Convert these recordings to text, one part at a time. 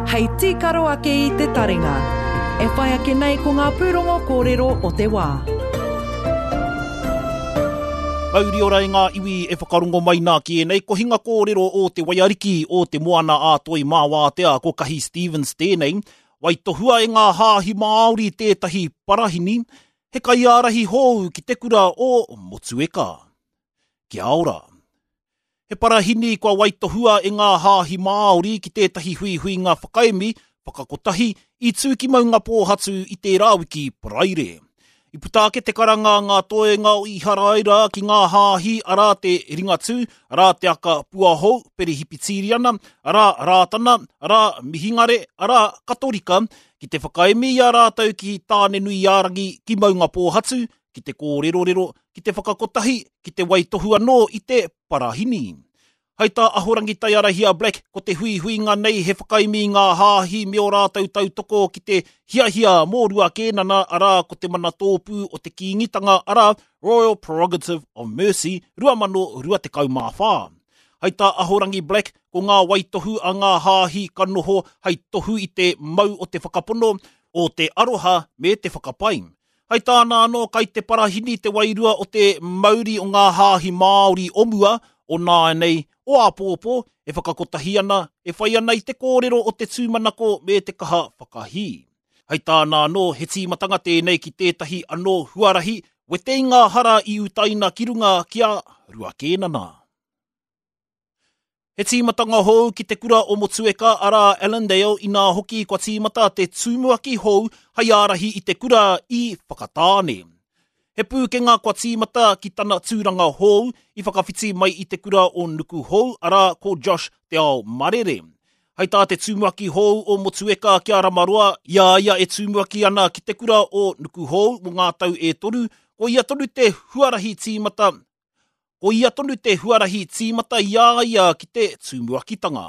Hei tīkaro ake i te taringa. E whai ake nei ko ngā pūrongo kōrero o te wā. Mauri ora e ngā iwi e whakarongo mai nā ki ēnei kohinga kōrero o te waiariki o te moana ā Toi mā Wātea ko Kahi Stevens tēnei. Waitohua e ngā hāhi Māori tētahi parahini, he kaiārahi hou ki te kura o Motueka. Kia ora. He parahini kua waitohua e ngā hāhi Māori ki tētahi huihuinga whakaemi, whakakotahi, i tū ki Maungapōhatu i tērā wiki Paraire. I puta ake te karanga a ngā toenga o Iharaira ki ngā hāhi arā te Ringatū, arā te Aka Puahou, Perehipitīriana, arā Rātana, arā Mihingare, arā Katorika, ki te whakaemi i a rātou ki Tānenuiārangi ki Maungapōhatu, ki te kōrerorero, ki te whakakotahi, ki te waitohu anō i te parahini. Hai tā Ahorangi Taiarahia Black, ko te huihuinga nei he whakaemi i ngā hāhi me ō rātou tautoko ki te hiahia mō Rua Kēnana, arā, ko te manatōpū o te Kīngitanga, arā, Royal Prerogative of Mercy, 2024. Hai tā Ahorangi Black, ko ngā waitohu a ngā hāhi ka noho hai tohu i te mau o te whakapono, o te aroha me te whakapai. Hai tāna anō kai te parahini te wairua o te mauri o ngā hāhi Māori o mua, o nāianei, o āpōpō, e whakakotahi ana, e whai ana i te kōrero o te tūmanako me te kaha whakahī. Hai tāna anō, he tīmatanga tēnei ki tētahi anō huarahi wete i ngā hara i utaina ki runga ki a Rua Kēnana. He tīmatanga hou ki te kura o Motueka, arā Allandale, inā hoki kua tīmata te tumuaki hou hai ārahi i te kura i Whakatāne. He pūkenga kua tīmata ki tana tūranga hou i whakawhiti mai i te kura o Nukuhou, arā ko Josh Te Ao Marere. Hai tā te tumuaki hou o Motueka ki a Ramaroa, i a ia e tumuaki ana ki te kura o Nukuhou mō ngā tau e toru, ko ia tonu te huarahi tīmata Ko ia tonu te huarahi tīmata i a ia ki te tumuakitanga.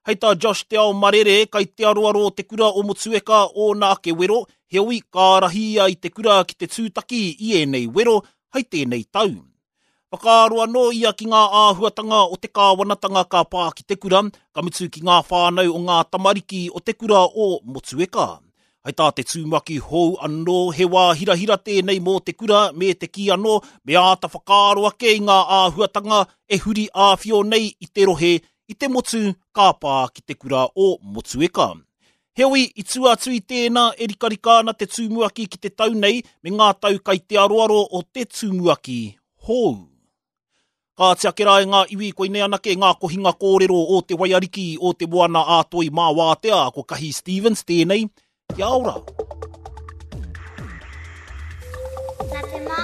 Hei tā Josh Te Ao Marere, kai te aroaro o te kura o Motueka ōna ake wero, heoi ka ārahi ia i te kura ki te tūtaki i ēnei wero hei tēnei tau. Whakaaro anō ia ki ngā āhuatanga o te kāwanatanga ka pā ki te kura, ka mutu ki ngā whānau o ngā tamariki o te kura o Motueka. Hai tā te tumuaki hou anō, he wā hirahira tēnei mō te kura me te kī anō me āta whakaaro ake i ngā āhuatanga e huri āwhio nei i te rohe, i te motu ka pā ki te kura o Motueka. Heoi, i tua atu i tēnā, e rikarika ana te tumuaki ki te tau nei me ngā tau kai te aroaro o te tumuaki hou. Kāti ake rā e ngā iwi, koinei anake ngā kohinga kōrero o te waiariki o te moana ā Toi mā Wātea, ko Kahi Stevens tēnei, kia ora! Nā te mā.